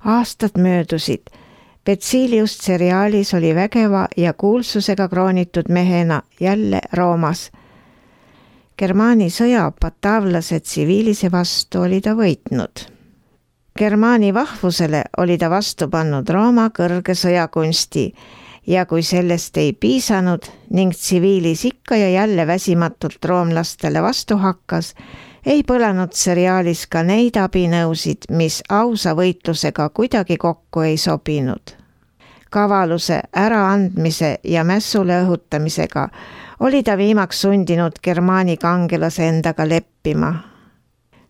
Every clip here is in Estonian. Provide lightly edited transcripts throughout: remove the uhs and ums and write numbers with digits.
Aastad möödusid. Betsiilius Cerealis oli vägeva ja kuulsusega kroonitud mehena jälle Roomas. Germaani sõja Batavlase tsiviilise vastu oli ta võitnud. Germaani vahvusele oli ta vastu pannud Rooma kõrge sõjakunsti ja kui sellest ei piisanud ning tsiviilis ikka ja jälle väsimatult roomlastele vastu hakkas, ei põlanud Cerealis ka neid abinõusid, mis ausa võitlusega kuidagi kokku ei sobinud. Kavaluse, äraandmise ja mässule õhutamisega oli ta viimaks sundinud Germaani kangelase endaga leppima.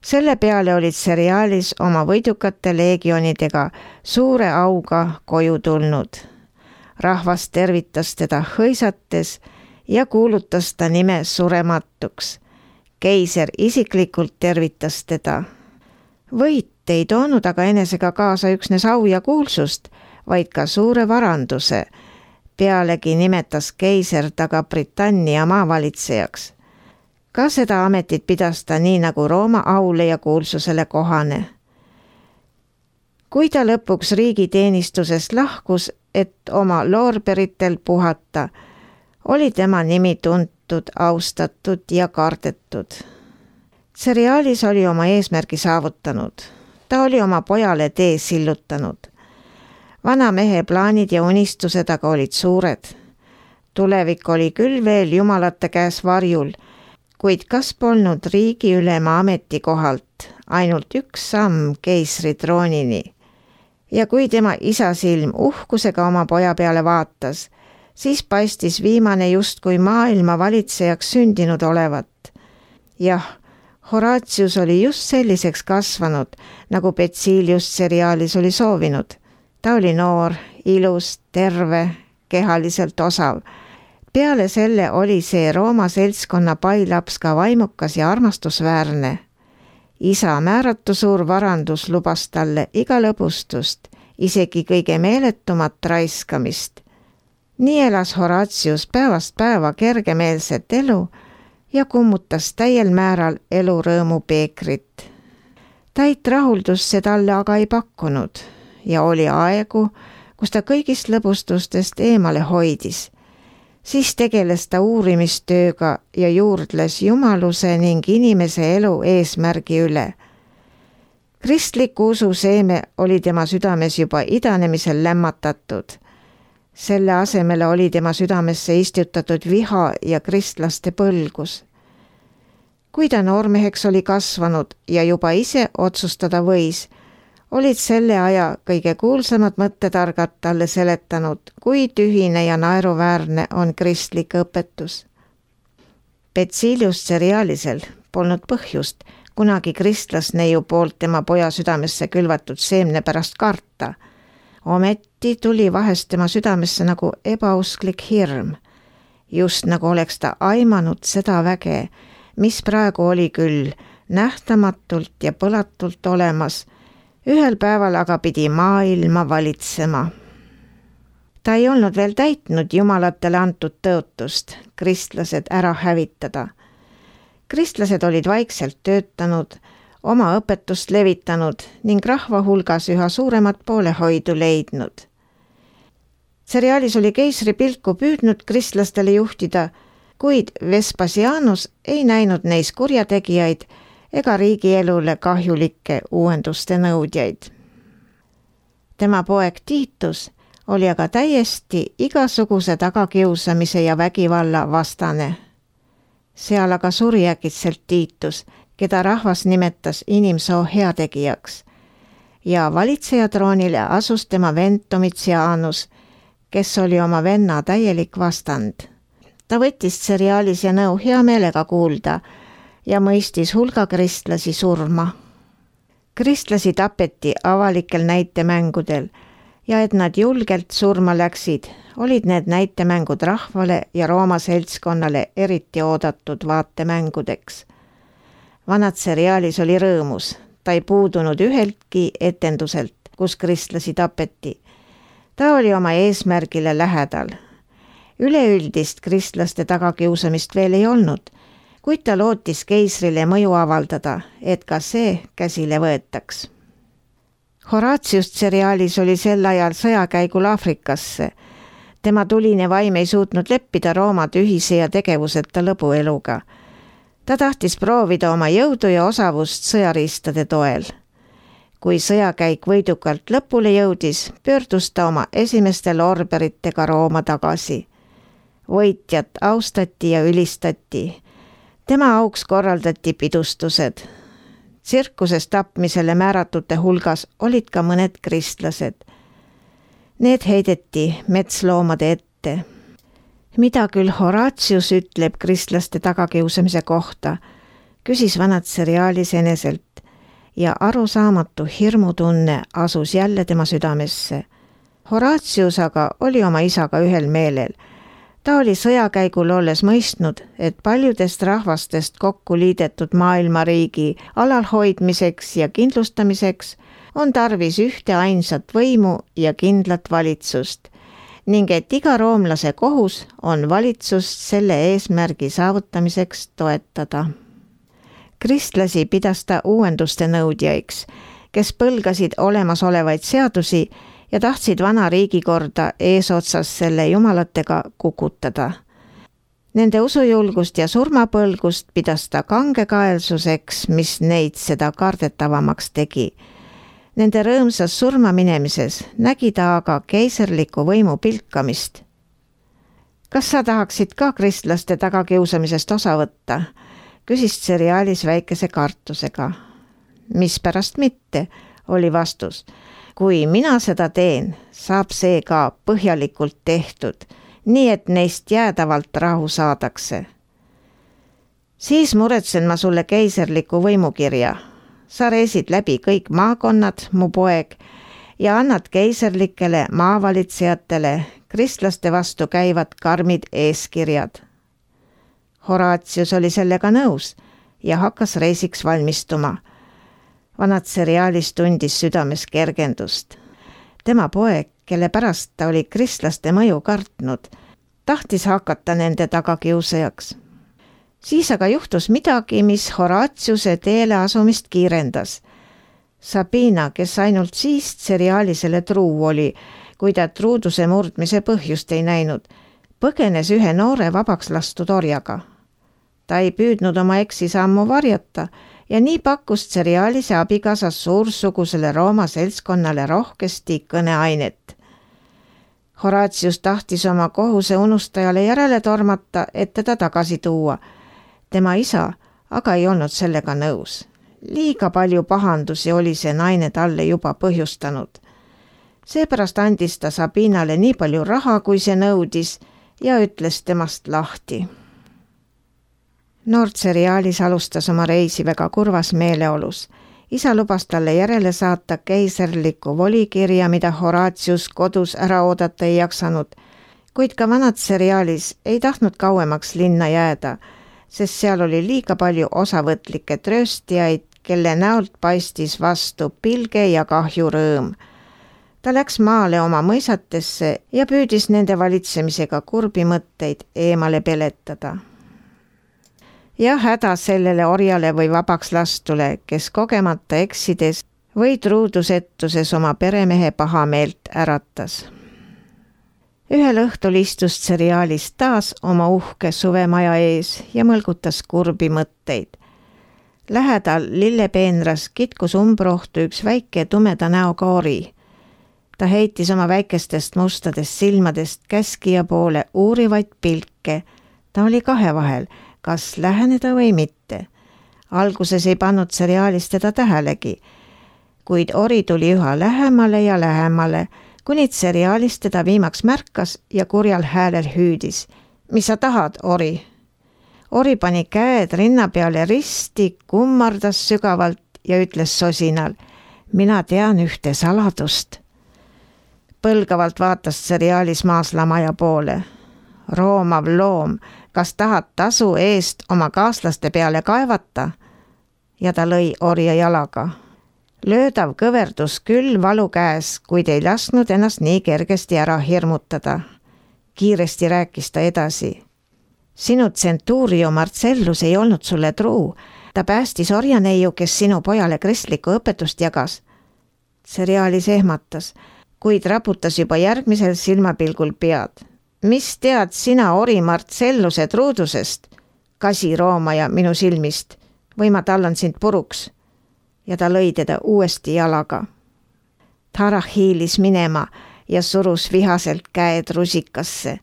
Selle peale olid Cerealis oma võidukate leegionidega suure auga koju tulnud. Rahvas tervitas teda hõisates ja kuulutas ta nime surematuks. Keiser isiklikult tervitas teda. Võit ei toonud aga enesega kaasa üksnes au ja kuulsust, vaid ka suure varanduse. Pealegi nimetas keiser taga Britannia maavalitsejaks. Ka seda ametit pidas ta nii nagu Rooma aule ja kuulsusele kohane. Kui ta lõpuks riigiteenistusest lahkus, et oma loorberitel puhata, oli tema nimi tuntud, austatud ja kardetud. Cerealis oli oma eesmärgi saavutanud. Ta oli oma pojale tee sillutanud. Vana mehe plaanid ja unistused aga olid suured. Tulevik oli küll veel jumalate käes varjul, kuid kas polnud riigiülema ametikohalt ainult üks samm keisri troonini. Ja kui tema isa silm uhkusega oma poja peale vaatas, siis paistis viimane justkui maailma valitsejaks sündinud olevat. Jah, Horatius oli just selliseks kasvanud, nagu Betsiilius Cerealis oli soovinud. Ta oli noor, ilus, terve, kehaliselt osav. Peale selle oli see Rooma seltskonna pailaps ka vaimukas ja armastusväärne. Isa määratu suur varandus lubas talle iga lõbustust, isegi kõige meeletumat raiskamist. Nii elas Horatius päevast päeva kergemeelset elu ja kummutas täiel määral elurõõmu peekrit. Täit rahuldust see talle aga ei pakkunud ja oli aegu, kus ta kõigist lõbustustest eemale hoidis. Siis tegeles ta uurimistööga ja juurdles jumaluse ning inimese elu eesmärgi üle. Kristliku usu seeme oli tema südames juba idanemisel lämmatatud. Selle asemele oli tema südamesse istutatud viha ja kristlaste põlgus. Kui ta noormeheks oli kasvanud ja juba ise otsustada võis, olid selle aja kõige kuulsamad mõttetargad talle seletanud, kui tühine ja naeruväärne on kristlik õpetus. Betsiilius Cerealisel polnud põhjust kunagi kristlasneiu poolt tema poja südamesse külvatud seemne pärast karta. Ometi tuli vahest tema südamesse nagu ebausklik hirm. Just nagu oleks ta aimanud seda väge, mis praegu oli küll nähtamatult ja põlatult olemas, ühel päeval aga pidi maailma valitsema. Ta ei olnud veel täitnud jumalatele antud tõotust, kristlased ära hävitada. Kristlased olid vaikselt töötanud, oma õpetust levitanud ning rahva hulgas üha suuremat poolehoidu leidnud. Cerealis oli keisri pilku püüdnud kristlastele juhtida, kuid Vespasianus ei näinud neis kurjategijaid ega riigielule kahjulikke uuenduste nõudjaid. Tema poeg Titus oli aga täiesti igasuguse tagakiusamise ja vägivalla vastane. Seal aga suri äkitselt Titus, keda rahvas nimetas inimsoo heategijaks, ja valitsejatroonile asus tema vend Domitianus, kes oli oma venna täielik vastand. Ta võttis Cerealis ja nõu hea meelega kuulda ja mõistis hulga kristlasi surma. Kristlasi tapeti avalikel näitemängudel ja et nad julgelt surma läksid, olid need näitemängud rahvale ja Rooma seltskonnale eriti oodatud vaatemängudeks. Vana Cerealis oli rõõmus, ta ei puudunud üheltki etenduselt, kus kristlasi tapeti. Ta oli oma eesmärgile lähedal. Üleüldist kristlaste tagakiusamist veel ei olnud, kuid ta lootis keisrile mõju avaldada, et ka see käsile võetaks. Horatius Cerialis oli sel ajal sõjakäigul Aafrikasse. Tema tuline vaim ei suutnud leppida Rooma tühise ja tegevuseta lõbueluga. Ta tahtis proovida oma jõudu ja osavust sõjariistade toel. Kui sõjakäik võidukalt lõpule jõudis, pöördus ta oma esimeste lorberitega Rooma tagasi. Võitjat austati ja ülistati. Tema auks korraldati pidustused. Tsirkuses tapmisele määratute hulgas olid ka mõned kristlased. Need heideti metsloomade ette. Mida küll Horatius ütleb kristlaste tagakiusamise kohta, küsis vanad Cerialis eneselt ja arusaamatu hirmutunne asus jälle tema südamesse. Horatius aga oli oma isaga ühel meelel. Ta oli sõjakäigul olles mõistnud, et paljudest rahvastest kokku liidetud maailmariigi alalhoidmiseks ja kindlustamiseks on tarvis ühte ainsat võimu ja kindlat valitsust ning et iga roomlase kohus on valitsust selle eesmärgi saavutamiseks toetada. Kristlasi pidas ta uuenduste nõudjaiks, kes põlgasid olemasolevaid seadusi ja tahtsid vana riigikorda eesotsas selle jumalatega kukutada. Nende usujulgust ja surmapõlgust pidas ta kangekaelsuseks, mis neid seda kardetavamaks tegi. Nende rõõmsas surmaminemises nägi ta aga keiserliku võimu pilkamist. Kas sa tahaksid ka kristlaste tagakiusamisest osa võtta? Küsis Cerialis väikese kartusega. Mispärast mitte, oli vastus. Kui mina seda teen, saab see ka põhjalikult tehtud, nii et neist jäädavalt rahu saadakse. Siis muretsen ma sulle keiserliku võimukirja. Sa reisid läbi kõik maakonnad, mu poeg, ja annad keiserlikele maavalitsejatele kristlaste vastu käivad karmid eeskirjad. Horatius oli sellega nõus ja hakkas reisiks valmistuma. Vanad Cerialis tundis südames kergendust. Tema poeg, kelle pärast ta oli kristlaste mõju kartnud, tahtis hakata nende tagakiusajaks. Siis aga juhtus midagi, mis Horatiuse teele asumist kiirendas. Sabina, kes ainult siis Cerialisele truu oli, kui ta truuduse murdmise põhjust ei näinud, põgenes ühe noore vabaks lastud orjaga. Ta ei püüdnud oma eksisammu varjata ja nii pakkus Cerialise abikaasas suursugusele Rooma seltskonnale rohkesti kõneainet. Horatius tahtis oma kohuse unustajale järele tormata, et teda tagasi tuua. Tema isa aga ei olnud sellega nõus. Liiga palju pahandusi oli see naine talle juba põhjustanud. Seepärast andis ta Sabinale nii palju raha, kui see nõudis ja ütles temast lahti. Noor Cerialis alustas oma reisi väga kurvas meeleolus. Isa lubas talle järele saata keiserliku volikirja, mida Horatius kodus ära oodata ei jaksanud, kuid ka vanad Cerialis ei tahtnud kauemaks linna jääda, sest seal oli liiga palju osavõtlikke trööstijaid, kelle näolt paistis vastu pilge ja kahjurõõm. Ta läks maale oma mõisatesse ja püüdis nende valitsemisega kurbi mõtteid eemale peletada. Ja häda sellele orjale või vabaks lastule, kes kogemata eksides või truudusettuses oma peremehe pahameelt äratas. Ühel õhtul istus Cerialis taas oma uhke suvemaja ees ja mõlgutas kurbi mõtteid. Lähedal lillepeenras kitkus umbrohtu üks väike tumeda näoga ori. Ta heitis oma väikestest mustadest silmadest käskija poole uurivaid pilke. Ta oli kahe vahel, kas läheneda või mitte. Alguses ei pannud Cerialis teda tähelegi, kuid ori tuli üha lähemale ja lähemale, kuni Cerialis teda viimaks märkas ja kurjal häälel hüüdis. Mis sa tahad, ori? Ori pani käed rinna peale risti, kummardas sügavalt ja ütles sosinal. Mina tean ühte saladust. Põlgavalt vaatas Cerialis maaslamaja poole. Roomav loom, kas tahad tasu eest oma kaaslaste peale kaevata? Ja ta lõi orja jalaga. Löödav kõverdus küll valu käes, kuid ei lasknud ennast nii kergesti ära hirmutada. Kiiresti rääkis ta edasi. Sinu Centurio Marcellus ei olnud sulle truu. Ta päästis orjaneiu, kes sinu pojale kristlikku õpetust jagas. Seriaalis ehmatas, kuid raputas juba järgmisel silmapilgul pead. Mis tead sina ori Marcelluse truudusest, kasiroomaja minu silmist, või ma tallan sind puruks? Ja ta lõi teda uuesti jalaga. Tarah hiilis minema ja surus vihaselt käed rusikasse.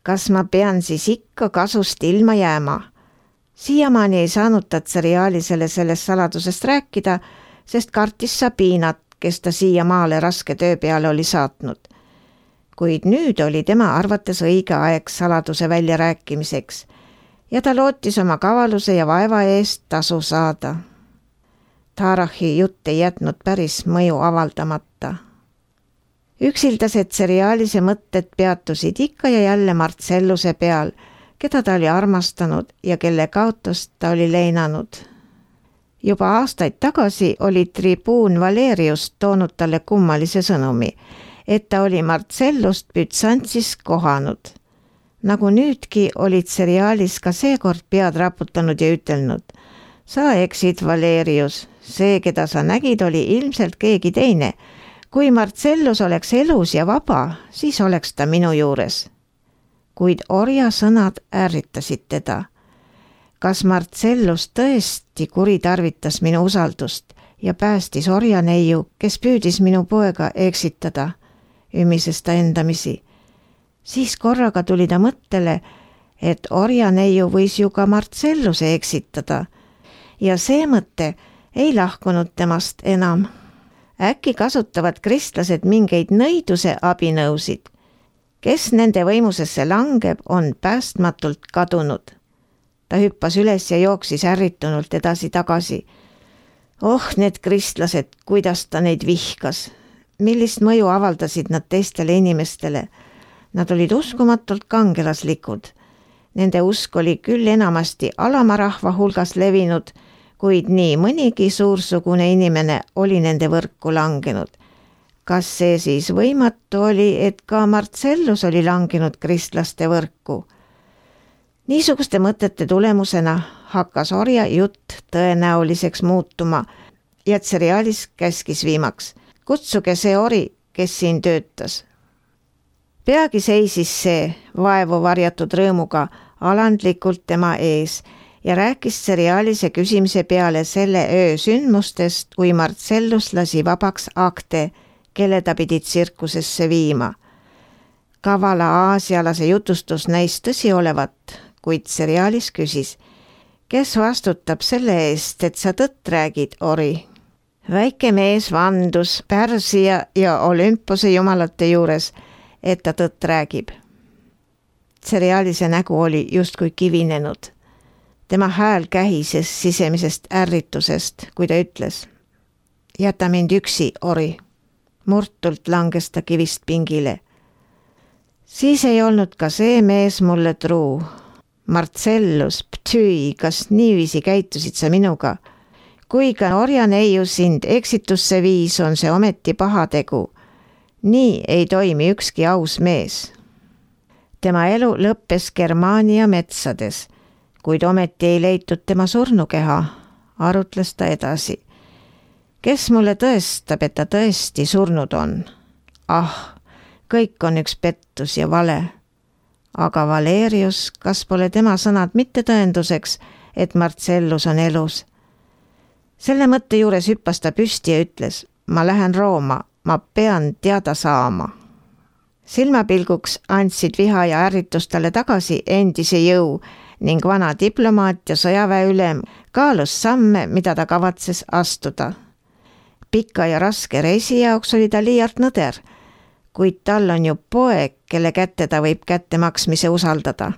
Kas ma pean siis ikka kasust ilma jääma? Siiamaani ei saanud ta seriaalisele sellest saladusest rääkida, sest kartis Sabinat, kes ta siiamaale raske töö peale oli saatnud. Kuid nüüd oli tema arvates õige aeg saladuse väljarääkimiseks ja ta lootis oma kavaluse ja vaeva eest tasu saada. Tarahi jutt ei jätnud päris mõju avaldamata. Üksildased seriaalise mõtted peatusid ikka ja jälle Marcelluse peal, keda ta oli armastanud ja kelle kaotust ta oli leinanud. Juba aastaid tagasi oli tribuun Valerius toonud talle kummalise sõnumi, et ta oli Marcellust Bütsantsis kohanud. Nagu nüüdki olid seriaalis ka seekord pead raputanud ja ütelnud: sa eksid, Valerius, see, keda sa nägid, oli ilmselt keegi teine. Kui Marcellus oleks elus ja vaba, siis oleks ta minu juures. Kuid orja sõnad ärritasid teda. Kas Marcellus tõesti kuritarvitas minu usaldust ja päästis orja neiu, kes püüdis minu poega eksitada, ümises ta endamisi. Siis korraga tuli ta mõttele, et orja neiu võis ju ka Marcelluse eksitada ja see mõte ei lahkunud temast enam. Äkki kasutavad kristlased mingeid nõiduse abinõusid. Kes nende võimusesse langeb, on päästmatult kadunud. Ta hüppas üles ja jooksis ärritunult edasi-tagasi. Need kristlased, kuidas ta neid vihkas. Millist mõju avaldasid nad teistele inimestele? Nad olid uskumatult kangelaslikud. Nende usk oli küll enamasti alama rahva hulgas levinud, kuid nii mõnigi suursugune inimene oli nende võrku langenud. Kas see siis võimatu oli, et ka Marcellus oli langenud kristlaste võrku? Niisuguste mõtete tulemusena hakkas orja jutt tõenäoliseks muutuma ja seriaalis käskis viimaks: kutsuge see ori, kes siin töötas. Peagi seisis see vaevu varjatud rõõmuga alandlikult tema ees ja rääkis seriaalise küsimise peale selle öö sündmustest, kui Marcellus lasi vabaks akte, kelle ta pidi tsirkusesse viima. Kavala aasialase jutustus näis tõsi olevat, kuid seriaalis küsis: kes vastutab selle eest, et sa tõtt räägid, ori? Väike mees vandus Pärsia ja Olümpose jumalate juures, et ta tõtt räägib. Seriaalise nägu oli justkui kivinenud. Tema hääl kähises sisemisest ärritusest, kui ta ütles: jäta mind üksi, ori. Murtult langes ta kivist pingile. Siis ei olnud ka see mees mulle truu. Marcellus, ptüi, kas niiviisi käitusid sa minuga? Kui ka orja neiu sind eksitusse viis, on see ometi pahategu. Nii ei toimi ükski aus mees. Tema elu lõppes Germaania metsades, kuid ometi ei leitud tema surnukeha, arutles ta edasi. Kes mulle tõestab, et ta tõesti surnud on? Kõik on üks pettus ja vale. Aga Valerius, kas pole tema sõnad mitte tõenduseks, et Marcellus on elus? Selle mõtte juures hüppas ta püsti ja ütles: ma lähen Rooma, ma pean teada saama. Silmapilguks andsid viha ja ärritus talle tagasi endise jõu ning vana diplomaat ja sõjaväe ülem kaalus samme, mida ta kavatses astuda. Pika ja raske reisi jaoks oli ta liialt nõder, kuid tal on ju poeg, kelle kätte ta võib kättemaksmise usaldada.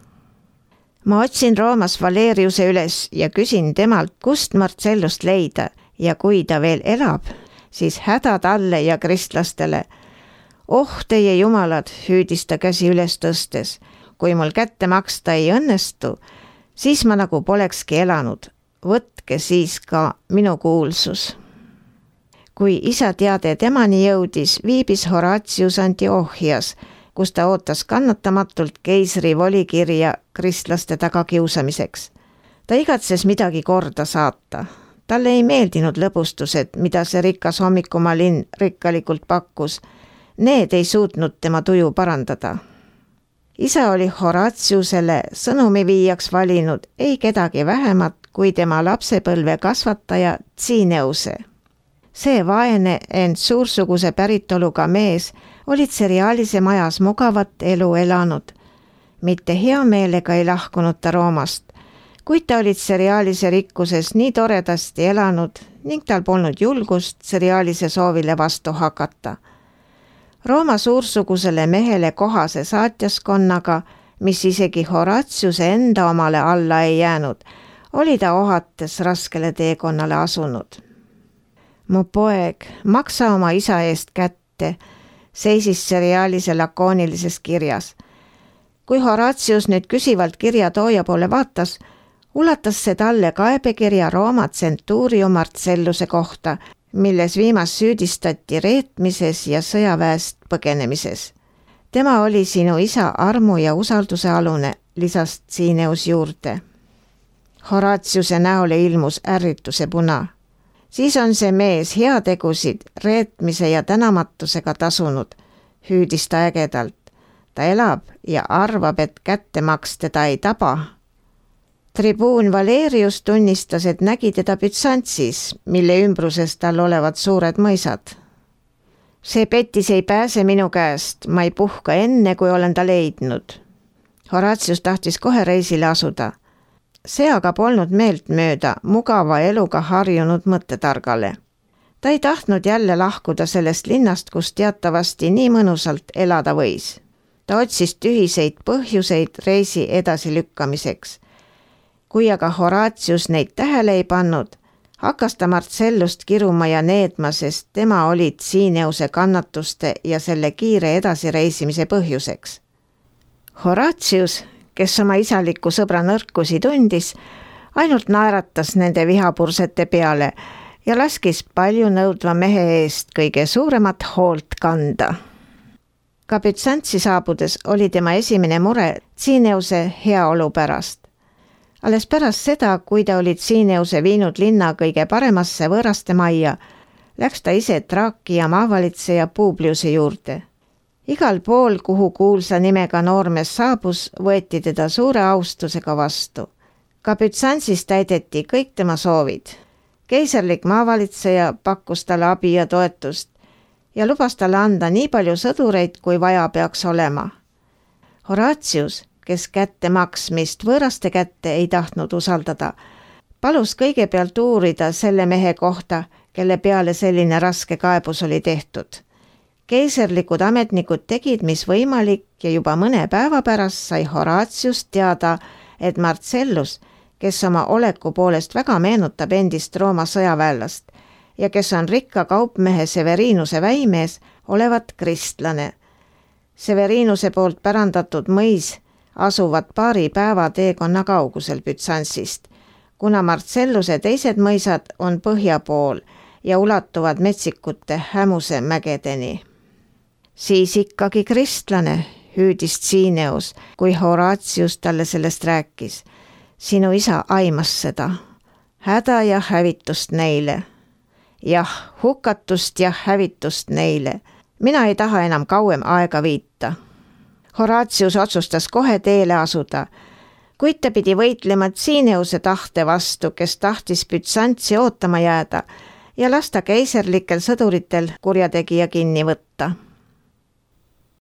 Ma otsin Roomas Valeriuse üles ja küsin temalt, kust Marcellust leida ja kui ta veel elab, siis häda talle ja kristlastele. Teie jumalad, hüüdis ta käsi üles tõstes, kui mul kätte maksta ei õnnestu, siis ma nagu polekski elanud. Võtke siis ka minu kuulsus. Kui isa teade temani jõudis, viibis Horatius Antiochias, kus ta ootas kannatamatult keisri volikirja kristlaste tagakiusamiseks. Ta igatses midagi korda saata. Talle ei meeldinud lõbustused, mida see rikas hommikumaa linn rikkalikult pakkus. Need ei suutnud tema tuju parandada. Isa oli Horatiusele sõnumi viijaks valinud ei kedagi vähemat kui tema lapsepõlve kasvataja Cineuse. See vaene, ent suursuguse päritoluga mees olid seriaalise majas mugavat elu elanud. Mitte hea meelega ei lahkunud ta Roomast, kuid ta olid seriaalise rikkuses nii toredasti elanud ning tal polnud julgust seriaalise soovile vastu hakata. Rooma suursugusele mehele kohase saatjaskonnaga, mis isegi Horatiuse enda omale alla ei jäänud, oli ta ohates raskele teekonnale asunud. Mu poeg, maksa oma isa eest kätte, seisis seriaalise lakoonilises kirjas. Kui Horatius nüüd küsivalt kirjatooja poole vaatas, ulatas see talle kaebekirja Rooma tsentuurio Marcelluse kohta, milles viimast süüdistati reetmises ja sõjaväest põgenemises. Tema oli sinu isa armu ja usalduse alune, lisas Cineus juurde. Horatiuse näole ilmus ärrituse puna. Siis on see mees heategusid reetmise ja tänamatusega tasunud, hüüdis ta ägedalt. Ta elab ja arvab, et kättemaks teda ei taba. Tribuun Valerius tunnistas, et nägi teda Bütsantsis, mille ümbruses tal olevad suured mõisad. See petis ei pääse minu käest, ma ei puhka enne, kui olen ta leidnud. Horatius tahtis kohe reisile asuda. See aga polnud meelt mööda mugava eluga harjunud mõttetargale. Ta ei tahtnud jälle lahkuda sellest linnast, kus teatavasti nii mõnusalt elada võis. Ta otsis tühiseid põhjuseid reisi edasilükkamiseks. Kui aga Horatius neid tähele ei pannud, hakkas ta Marcellust kiruma ja needma, sest tema oli Cineuse kannatuste ja selle kiire edasireisimise põhjuseks. Horatius, kes oma isaliku sõbra nõrkusi tundis, ainult naeratas nende vihapursete peale ja laskis palju nõudva mehe eest kõige suuremat hoolt kanda. Ka Bütsantsi saabudes oli tema esimene mure Cineuse heaolu pärast. Alles pärast seda, kui ta oli Cineuse viinud linna kõige paremasse võõraste majja, läks ta ise Traakia maavalitseja Publiuse juurde. Igal pool, kuhu kuulsa nimega noormees saabus, võeti teda suure austusega vastu. Ka Bütsantsis täideti kõik tema soovid. Keiserlik maavalitseja pakkus talle abi ja toetust ja lubas talle anda nii palju sõdureid, kui vaja peaks olema. Horatius, kes kättemaksmist võõraste kätte ei tahtnud usaldada, palus kõigepealt uurida selle mehe kohta, kelle peale selline raske kaebus oli tehtud. Keiserlikud ametnikud tegid, mis võimalik ja juba mõne päeva pärast sai Horatius teada, et Marcellus, kes oma oleku poolest väga meenutab endist Rooma sõjaväelast ja kes on rikka kaupmehe Severinuse väimees, olevat kristlane. Severinuse poolt pärandatud mõis asuvad paari päeva teekonna kaugusel Bütsantsist, kuna Marcelluse teised mõisad on põhja pool ja ulatuvad metsikute Hämuse mägedeni. Siis ikkagi kristlane, hüüdis Cineus, kui Horatius talle sellest rääkis. Sinu isa aimas seda. Häda ja hävitust neile. Jah, hukatust ja hävitust neile. Mina ei taha enam kauem aega viita. Horatius otsustas kohe teele asuda, kuid ta pidi võitlema Cineuse tahte vastu, kes tahtis Bütsantsi ootama jääda ja lasta keiserlikel sõduritel kurjategija kinni võtta.